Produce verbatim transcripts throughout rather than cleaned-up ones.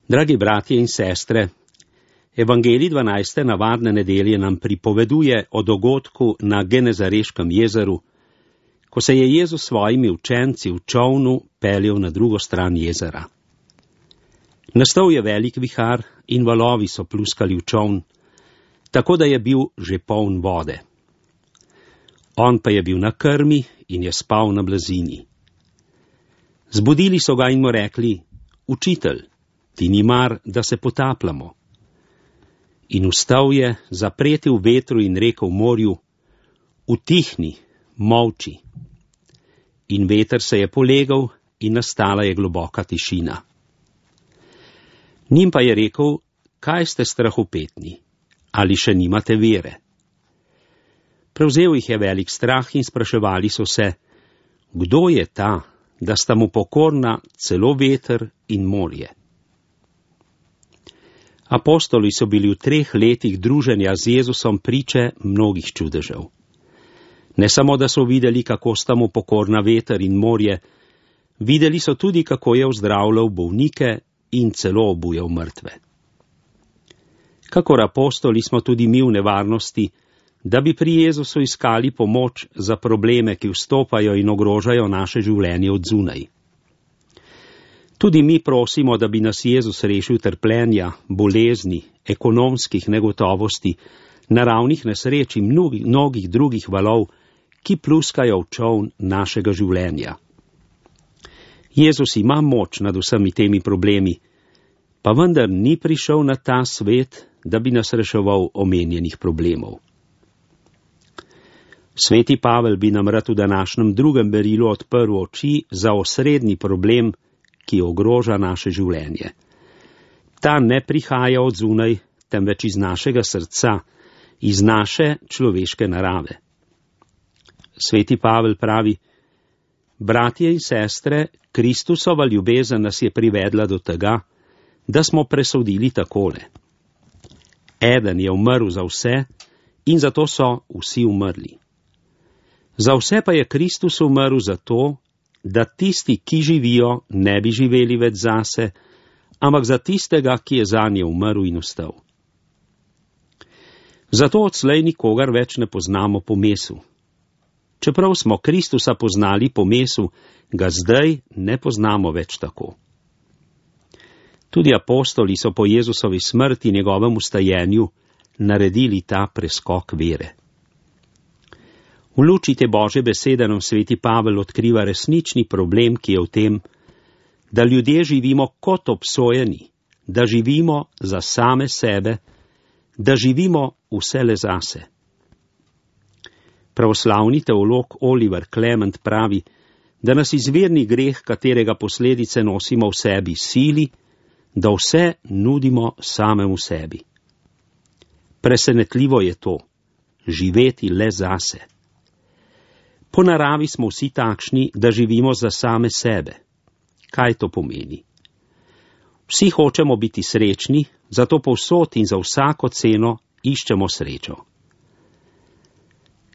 Dragi bratje in sestre, Evangelij dvanajste navadne nedelje nam pripoveduje o dogodku na Genezareškem jezeru, ko se je Jezus s svojimi učenci v čolnu peljal na drugo stran jezera. Nastal je velik vihar in valovi so pluskali v čoln, tako da je bil že poln vode. On pa je bil na krmi in je spal na blazini. Zbudili so ga in mu rekli: Učitelj, ti ni mar, da se potapljamo. In vstal je, zapretil vetru in rekel morju: Utihni, molči. In veter se je polegal in nastala je globoka tišina. Njim pa je rekel: Kaj ste strahopetni? Ali še nimate vere? Prevzel jih je velik strah in spraševali so se: Kdo je ta, da sta mu pokorna celo veter in morje? Apostoli so bili v treh letih druženja z Jezusom priče mnogih čudežev. Ne samo, da so videli, kako sta mu pokorna veter in morje, videli so tudi, kako je ozdravljal bolnike in celo obujal mrtve. Kakor apostoli smo tudi mi v nevarnosti, da bi pri Jezusu iskali pomoč za probleme, ki vstopajo in ogrožajo naše življenje od zunaj. Tudi mi prosimo, da bi nas Jezus rešil trpljenja, bolezni, ekonomskih negotovosti, naravnih nesreč in mnogih, mnogih drugih valov, ki pluskajo v čoln našega življenja. Jezus ima moč nad vsemi temi problemi, pa vendar ni prišel na ta svet, da bi nas reševal omenjenih problemov. Sveti Pavel bi nam rad v današnjem drugem berilu odprl oči za osrednji problem, ki ogroža naše življenje. Ta ne prihaja od zunaj, temveč iz našega srca, iz naše človeške narave. Sveti Pavel pravi: Bratje in sestre, Kristusova ljubezen nas je privedla do tega, da smo presodili takole. Eden je umrl za vse in zato so vsi umrli. Za vse pa je Kristus umrl zato, da tisti, ki živijo, ne bi živeli več zase, ampak za tistega, ki je zanje umrl in vstal. Zato odslej nikogar več ne poznamo po mesu. Čeprav smo Kristusa poznali po mesu, ga zdaj ne poznamo več tako. Tudi apostoli so po Jezusovi smrti in njegovem vstajenju naredili ta preskok vere. V luči te Božje besede nam sveti Pavel odkriva resnični problem, ki je v tem, da ljudje živimo kot obsojeni, da živimo za same sebe, da živimo vse le zase. Pravoslavni teolog Oliver Clement pravi, da nas izvirni greh, katerega posledice nosimo v sebi, sili, da vse nudimo samemu sebi. Presenetljivo je to, živeti le zase. Po naravi smo vsi takšni, da živimo za same sebe. Kaj to pomeni? Vsi hočemo biti srečni, zato povsod in za vsako ceno iščemo srečo.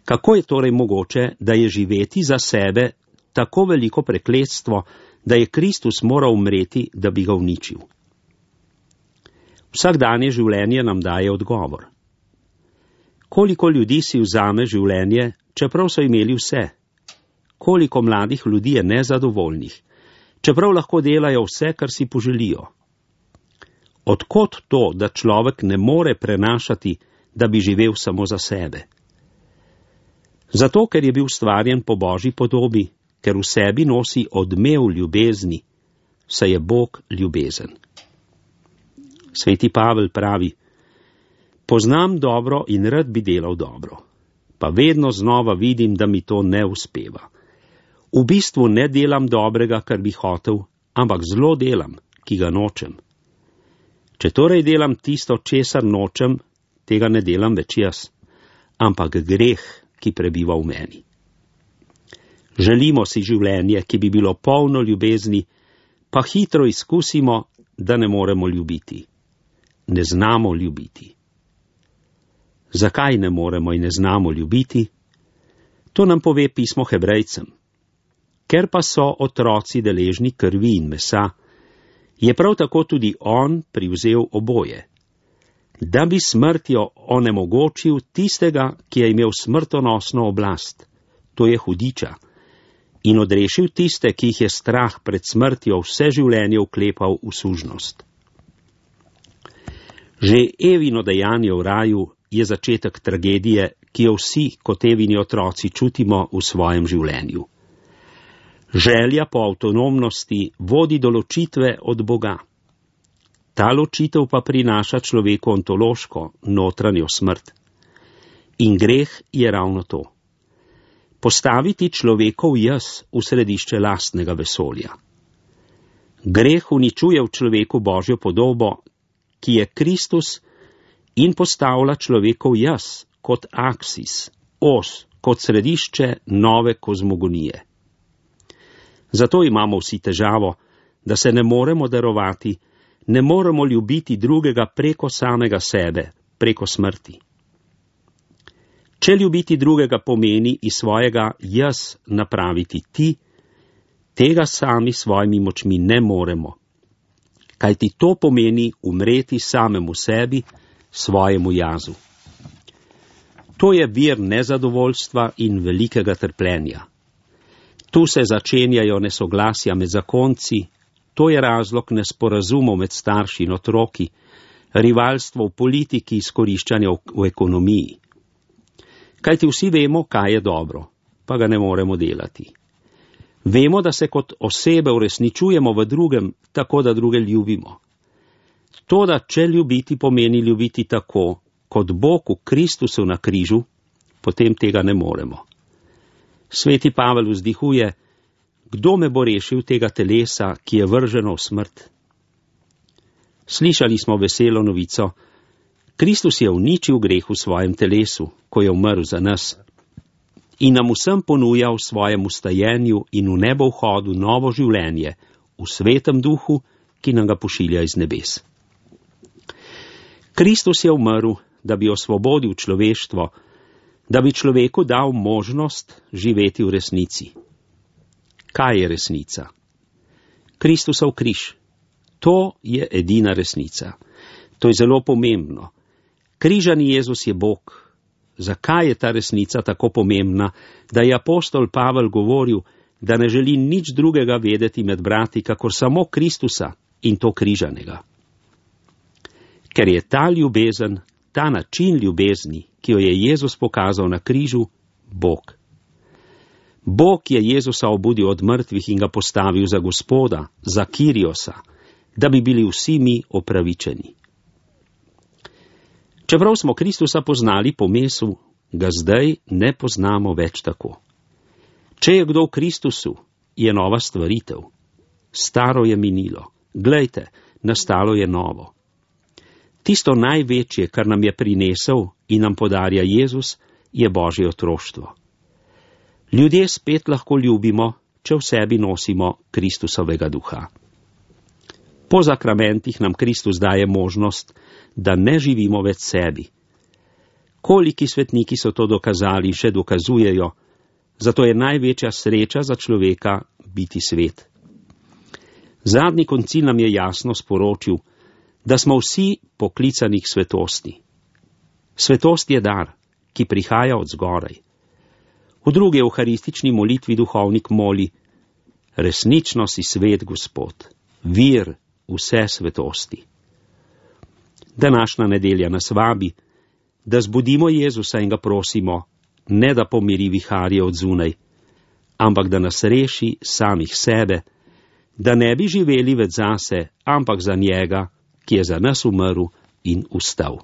Kako je torej mogoče, da je živeti za sebe tako veliko prekletstvo, da je Kristus moral umreti, da bi ga uničil? Vsakdanje življenje nam daje odgovor. Koliko ljudi si vzame življenje, čeprav so imeli vse? Koliko mladih ljudi je nezadovoljnih, čeprav lahko delajo vse, kar si poželijo? Odkot to, da človek ne more prenašati, da bi živel samo za sebe? Zato, ker je bil stvarjen po Božji podobi, ker v sebi nosi odmev ljubezni, saj je Bog ljubezen. Sveti Pavel pravi: Poznam dobro in rad bi delal dobro, pa vedno znova vidim, da mi to ne uspeva. V bistvu ne delam dobrega, kar bi hotel, ampak zlo delam, ki ga nočem. Če torej delam tisto, česar nočem, tega ne delam več jaz, ampak greh, ki prebiva v meni. Želimo si življenje, ki bi bilo polno ljubezni, pa hitro izkusimo, da ne moremo ljubiti. Ne znamo ljubiti. Zakaj ne moremo in ne znamo ljubiti? To nam pove pismo Hebrejcem. Ker pa so otroci deležni krvi in mesa, je prav tako tudi on privzel oboje, da bi smrtjo onemogočil tistega, ki je imel smrtonosno oblast, to je hudiča, in odrešil tiste, ki jih je strah pred smrtjo vse življenje vklepal v sužnost. Že Evino dejanje v raju je začetek tragedije, ki jo vsi kot Evini otroci čutimo v svojem življenju. Želja po avtonomnosti vodi do ločitve od Boga. Ta ločitev pa prinaša človeku ontološko, notranjo smrt. In greh je ravno to. Postaviti človekov jaz v središče lastnega vesolja. Greh uničuje v človeku Božjo podobo, ki je Kristus, in postavlja človekov jaz kot aksis, os, kot središče nove kozmogonije. Zato imamo vsi težavo, da se ne moremo darovati, ne moremo ljubiti drugega preko samega sebe, preko smrti. Če ljubiti drugega pomeni iz svojega jaz napraviti ti, tega sami svojimi močmi ne moremo, kajti to pomeni umreti samemu sebi, svojemu jazu. To je vir nezadovoljstva in velikega trpljenja. Tu se začenjajo nesoglasja med zakonci, to je razlog nesporazumov med starši in otroki, rivalstvo v politiki, izkoriščanja v ekonomiji. Kajti vsi vemo, kaj je dobro, pa ga ne moremo delati. Vemo, da se kot osebe uresničujemo v drugem, tako da druge ljubimo. To, da če ljubiti pomeni ljubiti tako, kot Bog v Kristusu na križu, potem tega ne moremo. Sveti Pavel vzdihuje, kdo me bo rešil tega telesa, ki je vrženo v smrt? Slišali smo veselo novico, Kristus je uničil greh v svojem telesu, ko je umrl za nas, in nam vsem ponuja v svojem ustajenju in v nebo vhodu novo življenje, v svetem duhu, ki nam ga pošilja iz nebes. Kristus je umrl, da bi osvobodil človeštvo, da bi človeku dal možnost živeti v resnici. Kaj je resnica? Kristusov križ. To je edina resnica. To je zelo pomembno. Križani Jezus je Bog. Zakaj je ta resnica tako pomembna, da je apostol Pavel govoril, da ne želi nič drugega vedeti med brati, kakor samo Kristusa in to križanega? Ker je ta ljubezen, ta način ljubezni, ki jo je Jezus pokazal na križu, Bog. Bog je Jezusa obudil od mrtvih in ga postavil za Gospoda, za Kiriosa, da bi bili vsi mi opravičeni. Čeprav smo Kristusa poznali po mesu, ga zdaj ne poznamo več tako. Če je kdo v Kristusu, je nova stvaritev. Staro je minilo. Glejte, nastalo je novo. Tisto največje, kar nam je prinesel in nam podarja Jezus, je Božje otroštvo. Ljudje spet lahko ljubimo, če v sebi nosimo Kristusovega duha. Po zakramentih nam Kristus daje možnost, da ne živimo več sebi. Koliki svetniki so to dokazali in še dokazujejo, zato je največja sreča za človeka biti svet. Zadnji koncil nam je jasno sporočil, da smo vsi poklicani k svetosti. Svetost je dar, ki prihaja od zgoraj. V drugi evharistični molitvi duhovnik moli, resnično si svet, Gospod, vir vse svetosti. Današnja nedelja nas vabi, da zbudimo Jezusa in ga prosimo, ne da pomiri viharje od zunaj, ampak da nas reši samih sebe, da ne bi živeli več zase, ampak za njega, ki je za nas umrl in vstal.